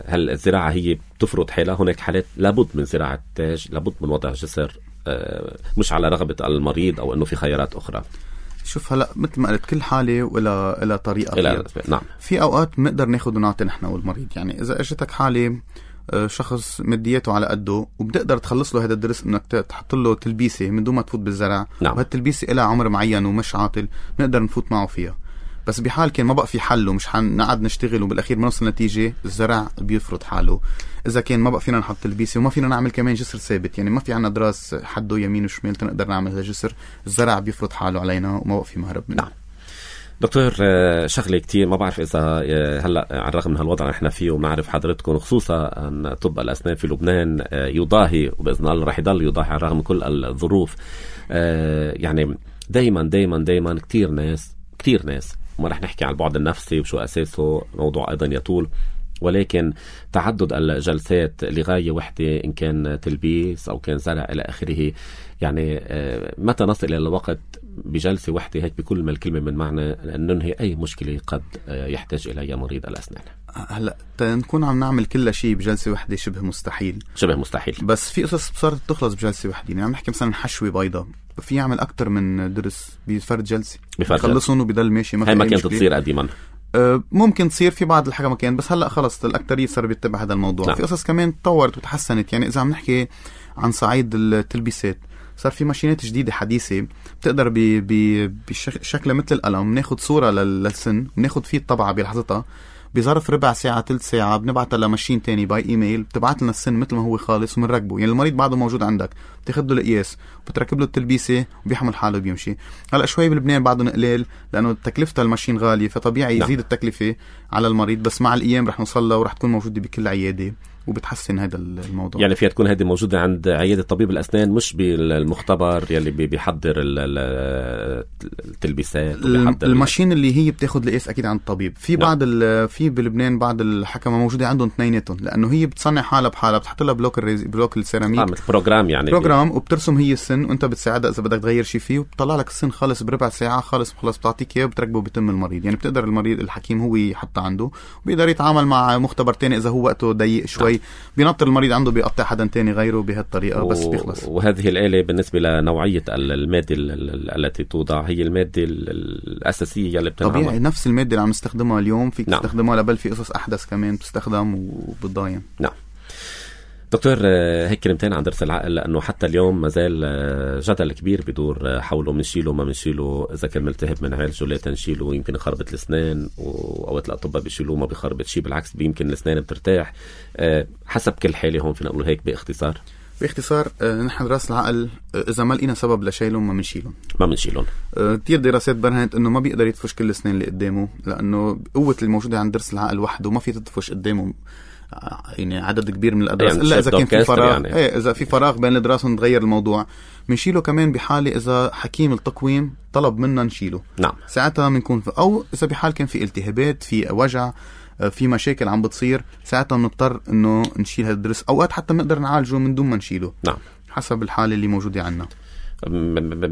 هل الزراعة هي تفرض حالها؟ هناك حالات لابد من زراعة تاج، لابد من وضع جسر، مش على رغبة المريض أو أنه في خيارات أخرى. شوف هلا مثل ما قلت كل حالة ولا طريقة. نعم. في أوقات بنقدر ناخد ونعطي نحن والمريض. يعني إذا أجتك حالة شخص مدياته على قده وبتقدر تخلص له هذا الدرس انك تحط له تلبيسه من دون ما تفوت بالزرع، نعم. وهالتلبيسه لها عمر معين ومش عاطل، بنقدر نفوت معه فيها. بس بحال كان ما بقى في حل ومش حنقعد نشتغل وبالاخير بنوصل نتيجه، الزرع بيفرض حاله. اذا كان ما بقى فينا نحط تلبيسه وما فينا نعمل كمان جسر ثابت، يعني ما في عنا دراس حده يمين وشمال تنقدر نعمل هذا الجسر، الزرع بيفرض حاله علينا وما بقى في مهرب منه. نعم. دكتور، شغلة كتير ما بعرف إذا هلأ على الرغم من هالوضع نحن فيه ونعرف حضرتكم، خصوصا أن طب الأسنان في لبنان يضاهي وبإذن الله رح يضل يضاهي على الرغم من كل الظروف. يعني دايما كتير ناس وما رح نحكي عن البعد النفسي وشو أساسه، موضوع أيضا يطول، ولكن تعدد الجلسات لغاية وحدة إن كان تلبيس أو كان زرع إلى آخره. يعني متى نصل إلى الوقت بجلسة وحدة هيك بكل ما الكلمة من معنى أن ننهي أي مشكلة قد يحتاج إليها مريض الأسنان؟ هلا نكون عم نعمل كل شيء بجلسة وحدة شبه مستحيل. بس في قصص صارت تخلص بجلسة وحدة. يعني عم نحكي مثلا حشوة بيضة في يعمل أكتر من درس بفرد جلسة يخلصون وبيضل ماشي. هاي ما كانت تصير قديما. ممكن تصير في بعض الحاجة مكان، بس هلأ خلص الأكترية صار بيتبع هذا الموضوع. نعم. في قصص كمان تطورت وتحسنت. يعني إذا عم نحكي عن صعيد التلبيسات، صار في ماشينات جديدة حديثة بتقدر بشكل مثل القلم ناخد صورة للسن وناخد فيه الطبعة بلحظتها، بظرف ربع ساعة 3 ساعة بنبعتها لماشين تاني باي ايميل، بتبعت لنا السن مثل ما هو خالص ومنركبه. يعني المريض بعده موجود عندك، بتاخد له القياس وبتركب له التلبيسة وبيحمل حاله وبيمشي. هلا شوي بلبنان بعده قليل لأنه تكلفة الماشين غالية، فطبيعي يزيد التكلفة على المريض، بس مع الأيام رح نوصل له ورح تكون موجودة بكل عيادة وبتحسن هذا الموضوع. يعني فيها تكون هذه موجودة عند عيادة طبيب الأسنان، مش بالمختبر يلي بيحضر التلبيسات. الماشين اللي هي بتاخد القياس أكيد عند الطبيب. في بعض في بلبنان بعض الحكمة موجودة عندهم اثنيناتهم، لأنه هي بتصنع حالة بحالة، بتحط لها بلوك السيراميك بروجرام، يعني بروجرام، وبترسم هي السن وانت بتساعدها إذا بدك تغير شيء فيه، وبتطلع لك السن خالص بربع ساعة، خالص بتعطيك إياه وبتركبه بتم المريض. يعني بتقدر المريض الحكيم هو يحطه عنده، وبيقدر يتعامل مع مختبر تاني إذا هو وقته ضيق شوي شوي بينطر المريض عنده بيقطع حدا تاني غيره بهالطريقة بس بيخلص. وهذه الآلة بالنسبة لنوعية المادة التي توضع هي المادة الأساسية اللي بتنعمل طبيعي نفس المادة اللي عم نستخدمها اليوم فيك تستخدمها لبل في قصص أحدث كمان بتستخدم وبتضاين. نعم دكتور، هيك كلمتين عن ضرس العقل، لأنه حتى اليوم مازال جدل كبير بدور حوله منشيله ما منشيله، إذا كان ملتهب منعالجه لا تنشيله، يمكن يخربط الأسنان وأوقات الأطباء بيشيلوه ما بيخربط شيء، بالعكس يمكن الأسنان بترتاح. حسب كل حالة هون فينا نقول هيك باختصار نحن راس العقل إذا ما لقينا سبب لشيلهم ما منشيلهم. كتير دراسات برهنت إنه ما بيقدر يدفش كل الأسنان اللي قدامه، لأنه قوة الموجودة عند ضرس العقل وحده ما في تدفش قدامه يعني عدد كبير من الأضراس، إلا إذا كان في فراغ يعني. إذا في فراغ بين الأضراس نتغير الموضوع. منشيله كمان بحالة إذا حكيم التقويم طلب منا نشيله. نعم. ساعتها بنكون أو إذا بحال كان في التهابات، في وجع، في مشاكل عم بتصير، ساعتها بنضطر إنه نشيل هالضرس. أوقات حتى بنقدر نعالجه من دون ما نشيله. نعم. حسب الحالة اللي موجودة عنا.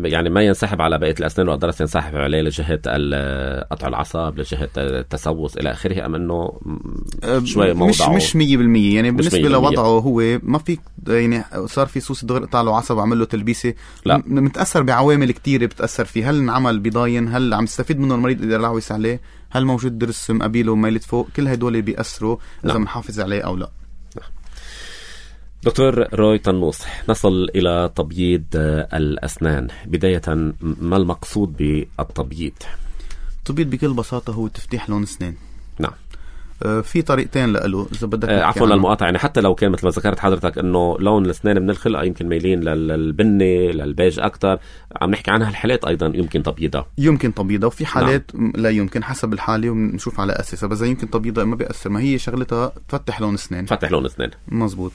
يعني ما ينسحب على بقية الأسنان والأضراس، ينسحب عليه لجهة قطع العصب، لجهة التسوس إلى آخره، أم أنه شوي موضعه مش 100% يعني بالنسبة لوضعه هو ما في يعني صار في سوس دغري قطع له عصب عمل له تلبيسة، متأثر بعوامل كتيرة بتأثر فيه. هل انعمل بضاين، هل عم يستفيد منه المريض إذا لعويس عليه، هل موجود ضرس مقابله وميلت فوق، كل هدول بيأثروا إذا منحافظ عليه أو لا. دكتور روي طنوس، نصل إلى تبييض الأسنان. بداية ما المقصود بالتبييض؟ التبييض بكل بساطة هو تفتيح لون أسنان. نعم. في طريقتين له إذا بدك عفوا للمقاطعة، يعني حتى لو كان مثل ما ذكرت حضرتك إنه لون الأسنان من الخلقة يمكن ميلين للبني للبيج أكتر، عم نحكي عنها الحالات أيضا يمكن تبييضها وفي حالات نعم. لا يمكن حسب الحالة ونشوف على أساسها، بس يمكن تبييضها ما بيأثر، ما هي شغلتها تفتح لون أسنان. مزبوط.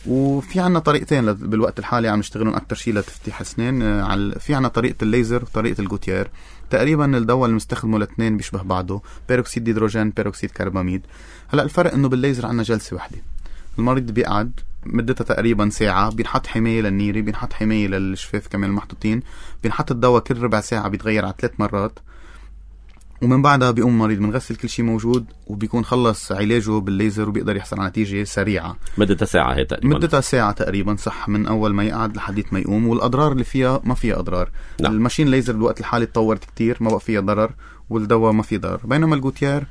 وفي عنا طريقتين بالوقت الحالي عم نشتغلون أكتر شيء لتفتيح أسنان. في عنا طريقة الليزر وطريقة الجوتيير. تقريبا الدواء اللي مستخدمه الاثنين بيشبه بعضه، بيروكسيد ديدروجين بيروكسيد كرباميد. هلا الفرق انه بالليزر عنا جلسة واحدة، المريض بيقعد مدتها تقريبا ساعة، بينحط حماية للنيري، بينحط حماية للشفاف كمان المحطوطين، بينحط الدواء كل ربع ساعة بيتغير على 3 مرات، ومن بعدها بيقوم المريض بنغسل كل شيء موجود وبيكون خلص علاجه بالليزر وبيقدر يحصل على نتيجة سريعة. مدتها ساعة تقريبا صح، من أول ما يقعد لحد ما يقوم. والأضرار اللي فيها ما فيها أضرار. نعم. الماشين ليزر بالوقت الحالي تطورت كتير، ما بقى فيها ضرر، والدواء ما فيه ضرر. بينما الجوتيير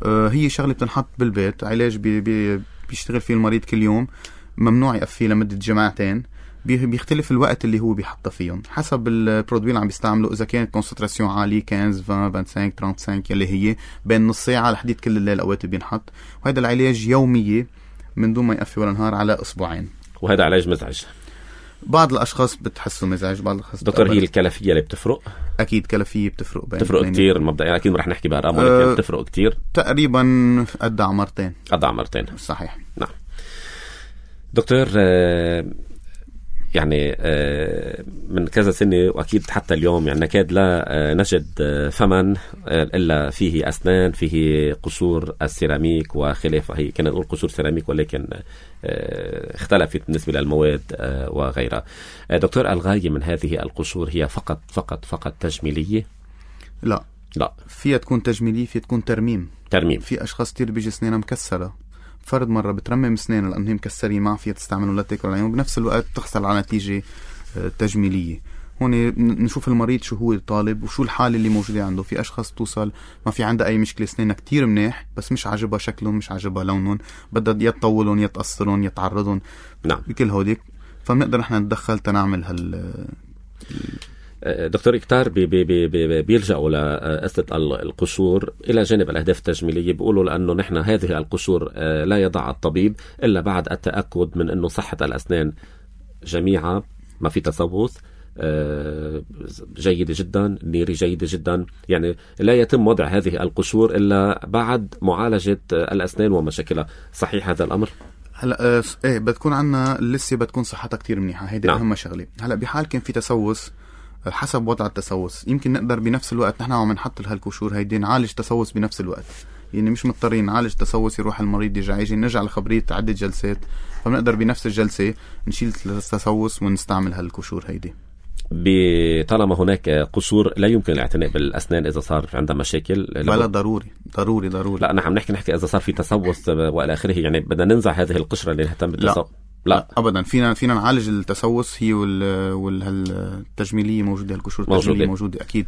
هي شغلة بتنحط بالبيت، علاج بيشتغل فيه المريض كل يوم، ممنوع يقفيه لمدة جمعتين. بيختلف الوقت اللي هو بيحطه فيهم حسب البرودوي اللي عم بيستعمله. إذا كانت كونسنتراسيون عالية 15 20 25 35 يلي هي بين نص ساعة لحديد كل الليل أوقات بينحط. وهذا العلاج يومية من دون ما يقفي ولا نهار على أسبوعين. وهذا علاج مزعج. بعض الأشخاص بتحسوا مزعج، بعض الأشخاص دكتور هي الكلفية اللي بتفرق؟ أكيد كلفية بتفرق كتير مبدئيا، أكيد رح نحكي بأرقام ولكن بتفرق كتير تقريبا قد عمرتين. صحيح. نعم دكتور، يعني من كذا سنة وأكيد حتى اليوم يعني نكاد لا نجد فمن إلا فيه أسنان، فيه قشور السيراميك وخلافه. هي كنا نقول قشور سيراميك ولكن اختلفت بالنسبة للمواد وغيرها. دكتور، الغاية من هذه القشور هي فقط تجميلية؟ لا فيها تكون تجميلية، فيها تكون ترميم. في أشخاص كتير بيجي سنانها مكسرة، فرد مرة بترمم سنانه لأنهم مكسرين، ما فيها تستعمله لا تاكل عليهم، وبنفس الوقت تحصل على نتيجة تجميلية. هون نشوف المريض شو هو طالب وشو الحالة اللي موجودة عنده. في أشخاص توصل ما في عندها أي مشكلة، سنانها كتير منيح بس مش عاجبها شكلهم، مش عاجبها لونهم، بدها يتطولون يتقصرون يتعرضون. نعم. بكل هوديك فبنقدر نحن ندخل تنعمل دكتور كتار بيلجأوا لقصة القشور إلى جانب الأهداف التجميلية. بيقولوا لأنه نحن هذه القشور لا يضع الطبيب إلا بعد التأكد من أنه صحة الأسنان جميعا، ما في تسوس، جيدة جدا، نيري جيدة جدا، يعني لا يتم وضع هذه القشور إلا بعد معالجة الأسنان ومشاكلها. صحيح هذا الأمر؟ هلا ايه بتكون عنا لسه بتكون صحتها كتير منيحة، هيدي أهم شغلة. هلا بحال كان في تسوس حسب وضع التسوس يمكن نقدر بنفس الوقت نحن عم نحط لهالكشور هيدي نعالج تسوس بنفس الوقت، يعني مش مضطرين نعالج تسوس يروح المريض يجي نرجع لخبرية عدة جلسات، فبنقدر بنفس الجلسة نشيل التسوس ونستعمل هالكشور هيدي. طالما هناك قصور لا يمكن الاعتناء بالأسنان إذا صار عندها مشاكل. بلا ضروري. لا نحن نحكي إذا صار في تسوس وإلى آخره، يعني بدنا ننزع هذه القشرة اللي نهتم بالتسوس. لا أبدا، فينا نعالج التسوس. هي والتجميلية موجودة، القشور التجميلية موجودة أكيد.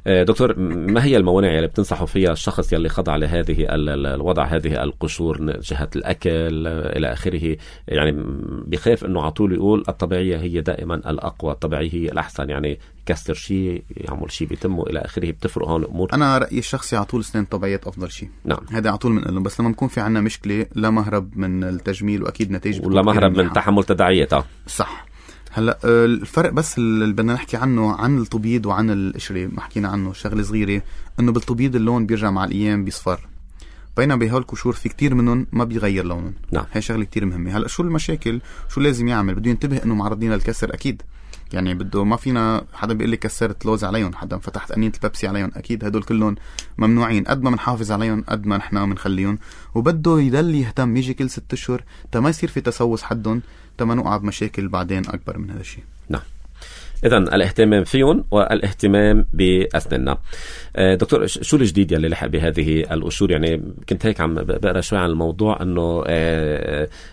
دكتور، ما هي الموانع اللي بتنصحوا فيها الشخص يلي خضع لهذه الوضع هذه القشور، جهة الأكل إلى آخره؟ يعني بخاف إنه عطول يقول الطبيعية هي دائما الأقوى، الطبيعية هي الأحسن، يعني يكسر شيء يعمل شيء بيتمه إلى آخره، بتفرق هون أمور. أنا رأيي الشخصي عطول سنين طبيعية أفضل شيء. نعم، هذا عطول من قلهم، بس لما نكون في عنا مشكلة لا مهرب من التجميل، وأكيد نتائج ولا مهرب من تحمل تداعياتها. صح. هلا الفرق بس اللي بدنا نحكي عنه عن التبييض وعن القشرة، ما حكينا عنه شغله صغيره، انه بالتبييض اللون بيرجع مع الايام بيصفر، بينما بهالكشور في كتير منهم ما بيغير لونهم. نعم، هي شغله كتير مهمه. هلا شو المشاكل؟ شو لازم يعمل؟ بده ينتبه انه معرضين للكسر اكيد، يعني بده ما فينا حدا بيقول لي كسرت لوز عليهم، حدا فتحت قنينه البيبسي عليهم، اكيد هدول كلهم ممنوعين. قد ما بنحافظ عليهم قد ما نحن بنخليهم، وبده يضل يهتم يجي كل 6 أشهر ما يصير في تسوس حدهم، ما نوقع بمشاكل بعدين اكبر من هذا الشيء. نعم، إذن الاهتمام فيهم والاهتمام بأسناننا. دكتور، شو الجديد يلي لحق بهذه القشور؟ يعني كنت هيك عم بقرأ شوي عن الموضوع، أنه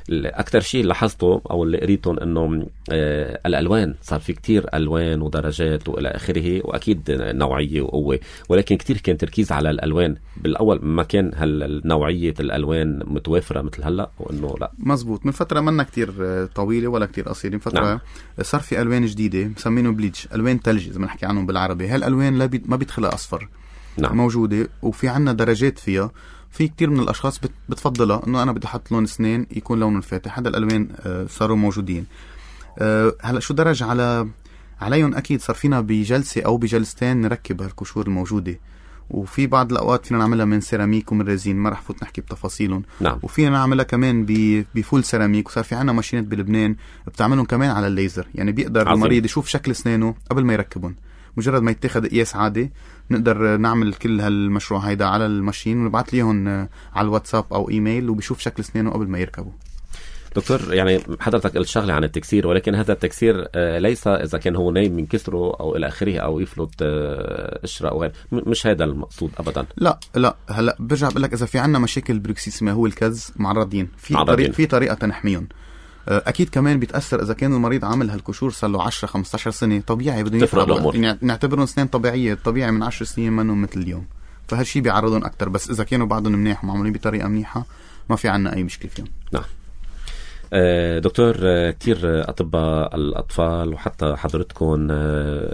أكتر شيء لاحظته أو اللي قريتهم أنه الألوان، صار في كتير ألوان ودرجات وإلى آخره، وأكيد نوعية وقوة، ولكن كتير كان تركيز على الألوان. بالأول ما كان نوعية الألوان متوافرة مثل هلأ، وأنه لا مزبوط. من فترة منا كتير طويلة ولا كتير قصيرة، من فترة نعم. صار في ألوان جديدة مسمينه بليتش، ألوان تلج إذا بنحكي عنهم بالعربي. هالألوان ما بيدخلها أصفر. نعم. موجودة، وفي عنا درجات فيها. في كتير من الأشخاص بتفضلها إنه أنا بدي أحط لون أسنان يكون لونه فاتح. هذا الألوان صاروا موجودين. هلا شو درج عليهم؟ أكيد صار فينا بجلسة أو بجلستين نركب هالكشور الموجودة، وفي بعض الأوقات فينا نعملها من سيراميك ومن ريزين، ما رح فوت نحكي بتفاصيلهم. نعم. وفينا نعملها كمان بفول سيراميك، وصار في عنا ماشينات بلبنان بتعملهم كمان على الليزر، يعني بيقدر المريض يشوف شكل أسنانه قبل ما يركبهم. مجرد ما يتخذ قياس عادي نقدر نعمل كل هالمشروع هيدا على الماشين ونبعث ليهم على الواتساب أو إيميل، وبيشوف شكل أسنانه قبل ما يركبوا. دكتور، يعني حضرتك قلت شغلة عن التكسير، ولكن هذا التكسير ليس إذا كان هو نايم من كسره أو إلى آخره أو يفلت قشرة أو غير، مش هذا المقصود أبدا. لا هلا برجع بقول لك إذا في عنا مشاكل بروكسيسما هو الكز، معرضين في طريقة تنحميهم. أكيد كمان بيتأثر إذا كان المريض عامل هالكشور صار له 10-15 سنة، طبيعي بده يفرق، يعني نعتبرهم أسنان طبيعية. طبيعي من 10 سنين منهم مثل اليوم، فهالشي بيعرضهم أكتر. بس إذا كانوا بعضهم منيح ومعمولين بطريقة منيحة ما في عنا أي مشكلة فيهم. نعم. دكتور، كتير أطباء الأطفال وحتى حضرتكم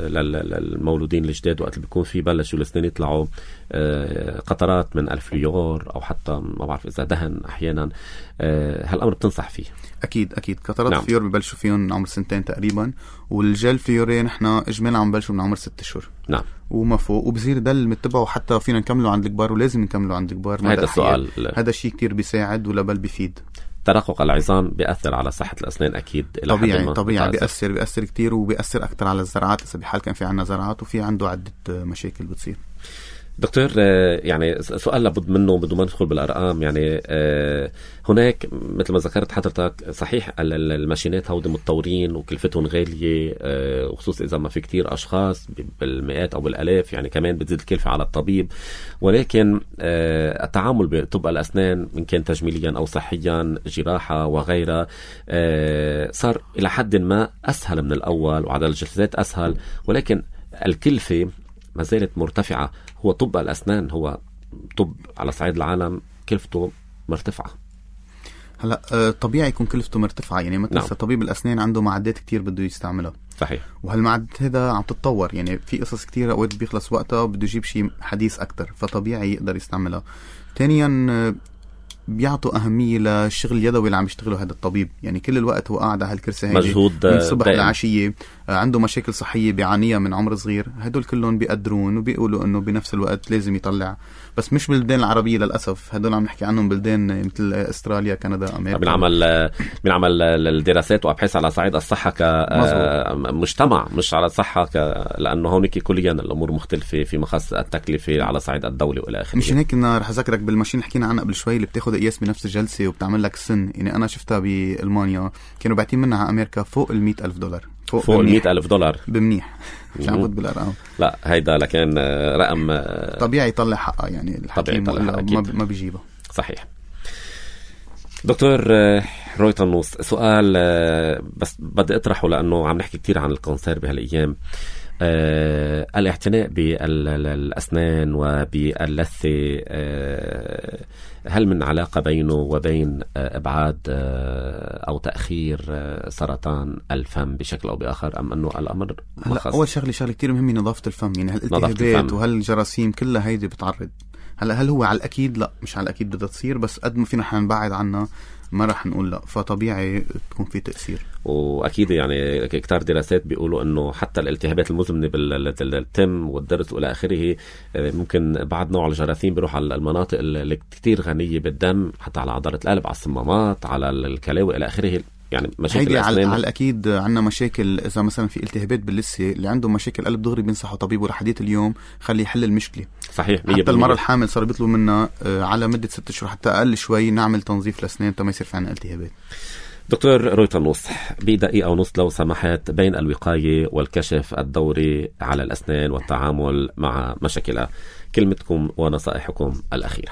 للمولودين الجداد وقت اللي بيكون في بلشوا الأسنان يطلعوا قطرات من الفليور أو حتى ما بعرف إذا دهن أحيانا، هالأمر بتنصح فيه؟ أكيد قطرات نعم. الفليور ببلشوا فيهم من عمر 2 تقريبا، والجل فليورين نحنا إجمالا عم بلشوا من عمر 6 أشهر. نعم. وما فوق، وبصير ده المتبعه، وحتى فينا نكمله عند الكبار، ولازم نكمله عند الكبار. هذا السؤال، هذا الشيء كتير بيساعد ولا بل بيفيد. ترقق العظام بيأثر على صحة الأسنان أكيد. طبيعي بيأثر كتير، وبيأثر أكتر على الزرعات إذا بحال كان في عنا زرعات، وفي عنده عدة مشاكل بتصير. دكتور، يعني سؤال لابد منه بدون ما ندخل بالأرقام، يعني هناك مثل ما ذكرت حضرتك صحيح الماشينات هودي متطورين وكلفتهم غالية، وخصوصا إذا ما في كتير أشخاص بالمئات أو بالآلاف، يعني كمان بتزيد الكلفة على الطبيب. ولكن التعامل بطب الأسنان من كان تجميليا أو صحيا، جراحة وغيرها، صار إلى حد ما أسهل من الأول، وعدد الجلسات أسهل، ولكن الكلفة ما زالت مرتفعة. هو طب الأسنان هو طب على صعيد العالم كلفته مرتفعة. هلا طبيعي يكون كلفته مرتفعة، يعني ما تنسى. نعم. طبيب الأسنان عنده معدات كتير بده يستعملها. صحيح. وهالمعدات هذا عم تتطور، يعني في قصص كتير أوقات بيخلص وقتها وبده يجيب شيء حديث أكتر، فطبيعي يقدر يستعملها. ثانيا بيعطوا أهمية للشغل اليدوي اللي عم يشتغله هذا الطبيب، يعني كل الوقت هو قاعد على هالكرسي هيك مجهود من الصبح لعشية، عنده مشاكل صحية بيعانيها من عمر صغير. هدول كلهم بيقدرون وبيقولوا إنه بنفس الوقت لازم يطلع، بس مش بالبلدان العربية للأسف. هدول عم نحكي عنهم بلدان مثل أستراليا، كندا، أمريكا. بنعمل الدراسات وأبحاث على صعيد الصحة كمجتمع، مش على الصحة لأنه هونيك كليا الأمور مختلفة في مخص التكلفة على صعيد الدولة وإلى آخره. مش هيك رح أذكرك بالماشين اللي حكينا عنها قبل شوي اللي بتاخد قياس بنفس الجلسة وبتعمل لك سن، يعني أنا شفتها بألمانيا كانوا باعتين منها على أمريكا فوق $100,000. فوق $100,000 بمنيح. مش عم بفوت بالأرقام. لا هيدا لكن رقم طبيعي يطلع حقها، يعني الحكيم ما بيجيبها. صحيح. دكتور روي طنوس، سؤال بس بدي اطرحه لأنه عم نحكي كتير عن الكانسير بهالأيام. الاعتناء بالأسنان وباللثة، هل من علاقة بينه وبين إبعاد أو تأخير سرطان الفم بشكل أو بآخر، أم أنه الأمر هلا أول شغلة كتير مهمة نظافة الفم، يعني هالالتهابات وهالجراثيم كلها هيدي بتعرض. هلا هل هو على الأكيد؟ لا مش على الأكيد بدها تصير، بس قد ما فينا نبعد عنها ما رح نقول لا، فطبيعي تكون في تأثير. وأكيد يعني كتار دراسات بيقولوا أنه حتى الالتهابات المزمنة بالتم والضرس وإلى آخره ممكن بعد نوع الجراثيم بيروح على المناطق اللي كتير غنية بالدم، حتى على عضلة القلب، على الصمامات، على الكلاوي إلى آخره. يعني مشاكل على الأكيد عنا مشاكل. إذا مثلا في التهابات باللثة، اللي عنده مشاكل قلب دغري بينصحوا طبيبه لحديت اليوم خلي يحل المشكلة. صحيح. حتى المرة الحامل صار بيطلبوا منا على مدة 6 أشهر حتى أقل شوي نعمل تنظيف الأسنان تا ما يصير في عنا التهابات. دكتور روي طنوس، بدقيقة ونص لو سمحت، بين الوقاية والكشف الدوري على الأسنان والتعامل مع مشاكلها، كلمتكم ونصائحكم الأخيرة.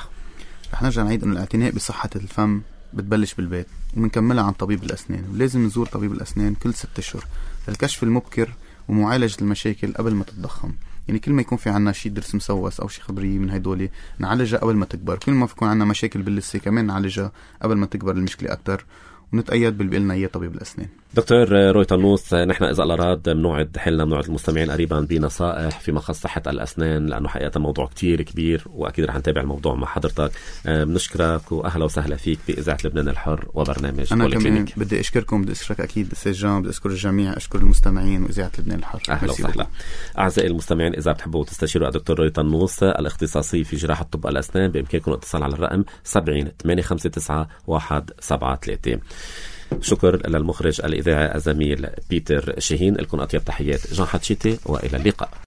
رح نرجع نعيد أن الاعتناء بصحة الفم بتبلش بالبيت ومنكملها عن طبيب الأسنان، ولازم نزور طبيب الأسنان كل 6 أشهر للكشف المبكر ومعالجة المشاكل قبل ما تتضخم. يعني كل ما يكون في عنا شي ضرس مسوس أو شي خبرية من هيدولي نعالجها قبل ما تكبر. كل ما يكون عنا مشاكل باللثة كمان نعالجها قبل ما تكبر المشكلة أكتر، ونتأيد باللي بيقلنا إياه طبيب الأسنان. دكتور روي طنوس، نحن إذا الأراد بنوعد حلنا بنوعد المستمعين قريبا بنصائح فيما خص صحة الأسنان، لأنه حقيقة موضوع كتير كبير وأكيد رح نتابع الموضوع مع حضرتك. بنشكرك وأهلا وسهلا فيك بإذاعة لبنان الحر وبرنامج أنا كمان بدي أشكركم، بدي أشكرك أكيد أستاذ جان، بدي أشكر الجميع، أشكر المستمعين وإذاعة لبنان الحر. أهلا وسهلا. أعزائي المستمعين، إذا بتحبوا تستشيروا الدكتور روي طنوس الاختصاصي في جراحة طب الأسنان، بإمكانكم الاتصال على الرقم 70-859-173. شكر للمخرج الإذاعي الزميل بيتر شاهين. لكم أطيب تحيات جان حتشيتي، وإلى اللقاء.